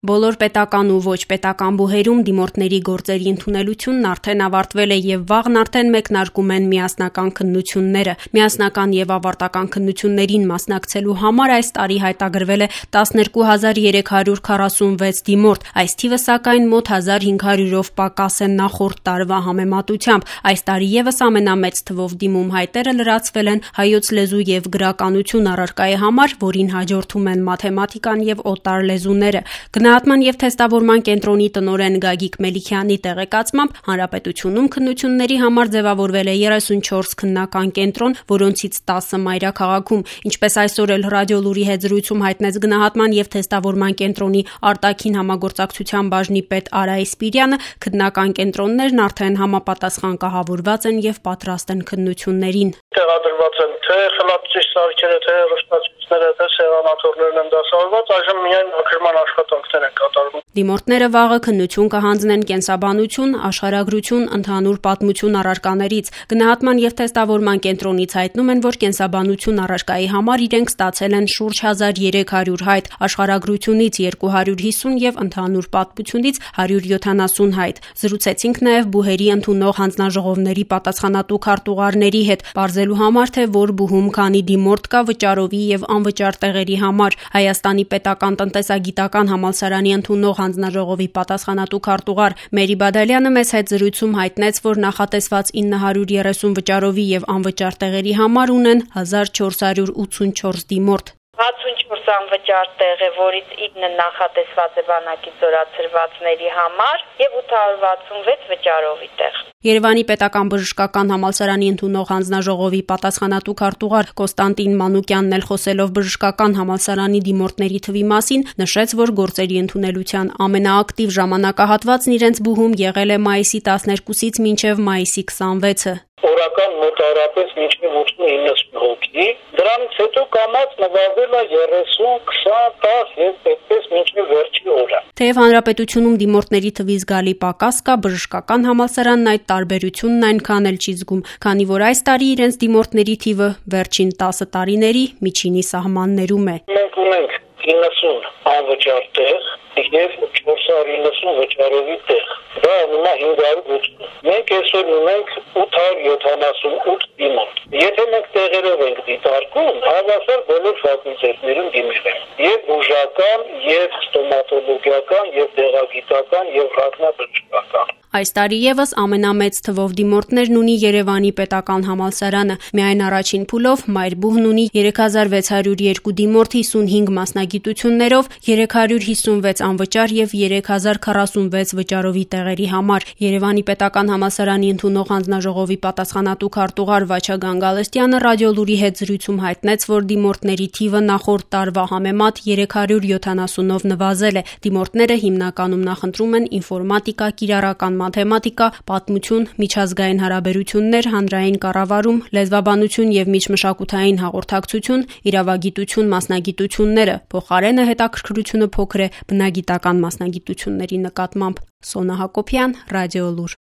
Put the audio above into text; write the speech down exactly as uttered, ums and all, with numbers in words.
Բոլոր պետական ու ոչ պետական բուհերում դիմորդների գործերի ընդունելությունն արդեն ավարտվել է և վաղն արդեն մեկնարկում են միասնական քննությունները։ Միասնական և ավարտական քննություններին մասնակցելու համար այս տարի հայտագրվել է տասներկու հազար երեք հարյուր քառասունվեց դիմորդ, այս թիվը սակայն մոտ հազար հինգ հարյուրով պակաս է նախորդ տարվա համեմատությամբ։ Այս տարի ևս ամենամեծ թվով դիմում հայտերը լրացվել են հայոց լեզու և գրականություն առարկայի համար, որին հաջորդում են մաթեմատիկան և օտար լեզուները։ Գնահատման և թեստավորման կենտրոնի տնօրեն Գագիկ Մելիքյանի տեղեկացմամբ հանրապետությունում քննությունների համար ձևավորվել է երեսունչորս քննական կենտրոն, որոնցից տասը մայրաքաղաքում։ Ինչպես այսօր էլ Ռադիոլուրի հետ զրույցում հայտնեց գնահատման և թեստավորման կենտրոնի արտաքին համագործակցության բաժնի պետ Արա Իսպիրյանը, քննական կենտրոններն արդեն համապատասխան կահավորված են և պատրաստ են քննություններին։ Տեղադրված են թե խլացուցիչ սարքերը, թե հեռուստացույցները, թե սեղանաթոռներն են դասավորված, այժմ միայն մաքրման աշխատանքներ են կատարվում։ Դիմորդները վաղը քննություն կհանձնեն կենսաբանություն, աշխարհագրություն, ընդհանուր պատմություն առարկաներից։ Գնահատման և թեստավորման կենտրոնից հայտնում են, որ կենսաբանություն առարկայի համար իրենք ստացել են շուրջ հազար երեք հարյուր հայտ, աշխարհագրությունից երկու հարյուր հիսուն և ընդհանուր պատմությունից հարյուր յոթանասուն հայտ։ Զրուցեցինք նաև բուհերի ընդունող հանձնաժողովների պատասխանատու քարտուղարների հետ, պարզելու համար, թե որ բուհում քանի դիմորդ կա վճարովի և անվճար տեղերի համար։ Հայաստանի պետական տնտեսագիտական համալսարանի ընդունող հանձնաժողովի պատասխանատու քարտուղար Մերի Բադալյանը մեզ հետ զրույցում հայտնեց, որ նախատեսված ինը հարյուր երեսուն վճարովի և անվճար տեղերի համար ունեն հազար չորս հարյուր ութսունչորս դիմորդ։ հացունչորս անվճար տեղ է, որից ինը նախատեսված է բանակից զորացրվածների համար և ութ հարյուր վաթսունվեց վճարովի տեղ։ Երևանի պետական բժշկական համալսարանի ընդունող հանձնաժողովի պատասխանատու քարտուղար Կոստանտին Մանուկյանն էլ խոսելով բժշկական համալսարանի դիմորդների թվի մասին, նշեց, որ գործերի ընդունելության ամենաակտիվ ժամանակահատվածն իրենց բուհում եղել է մայիսի տասներկուսից մինչև մայիսի քսանվեցը։ Օրական մոտավորապես մինչև ութսուն-իննսուն հոգի, դրանից հետո կամած նվազել է երեսուն, քսան, տասը և այդպես մինչև վերջի օրը։ Թեև հանրապետությունում դիմորդների թվի զգալի պակաս կա, բժշկական համալսարանն այդ տարբերությունն այնքան էլ չի զգում, քանի որ այս տարի իրենց դիմորդների թիվը վերջին տասը տարիների միջինի սահմաններում է։ Մենք ունենք իննսուն անվճար տեղ և չորս հարյուր իննսուն վճարովի տեղ։ Դա ունենա հինգ հարյուր ութսուն։ Մենք այսօր ունենք ութ հարյուր յոթանասունութ դիմորդ։ Եթե մենք տեղերով ենք դիտարկում, հավասար բոլոր ֆակուլտետներում դիմել են։ Եվ բուժական, եւ ստոմատոլոգիական, եւ դեղագիտական, եւ ռազմաբժշկական։ Այս տարի ևս ամենամեծ թվով դիմորդներն ունի Երևանի պետական համալսարանը։ Միայն առաջին փուլով Մայրբուհն ունի երեք հազար վեց հարյուր երկու դիմորդ հիսունհինգ մասնագիտություններով, երեք հարյուր հիսունվեց անվճար և երեք հազար քառասունվեց վճարովի տեղերի համար։ Երևանի պետական համալսարանի ընդունող հանձնաժողովի պատասխանատու քարտուղար Վաչա Գանգալստյանը Ռադիոլուրի հետ զրույցում հայտնեց, որ դիմորդների թիվը նախորդ տարվա համեմատ երեք հարյուր յոթանասունով նվազել է։ Դիմորդները հիմնականում նախընտրում են ինֆորմատիկա, կիրառական մաթեմատիկա, պատմություն, միջազգային հարաբերություններ, հանրային կառավարում, լեզվաբանություն և միջմշակութային հաղորդակցություն, իրավագիտություն մասնագիտությունները։ Փոխարենը հետաքրքրությունը փոքր է բնագիտական մասնագիտությունների նկատմամբ։ Սոնա Հակոբյան, Ռադիոլուր։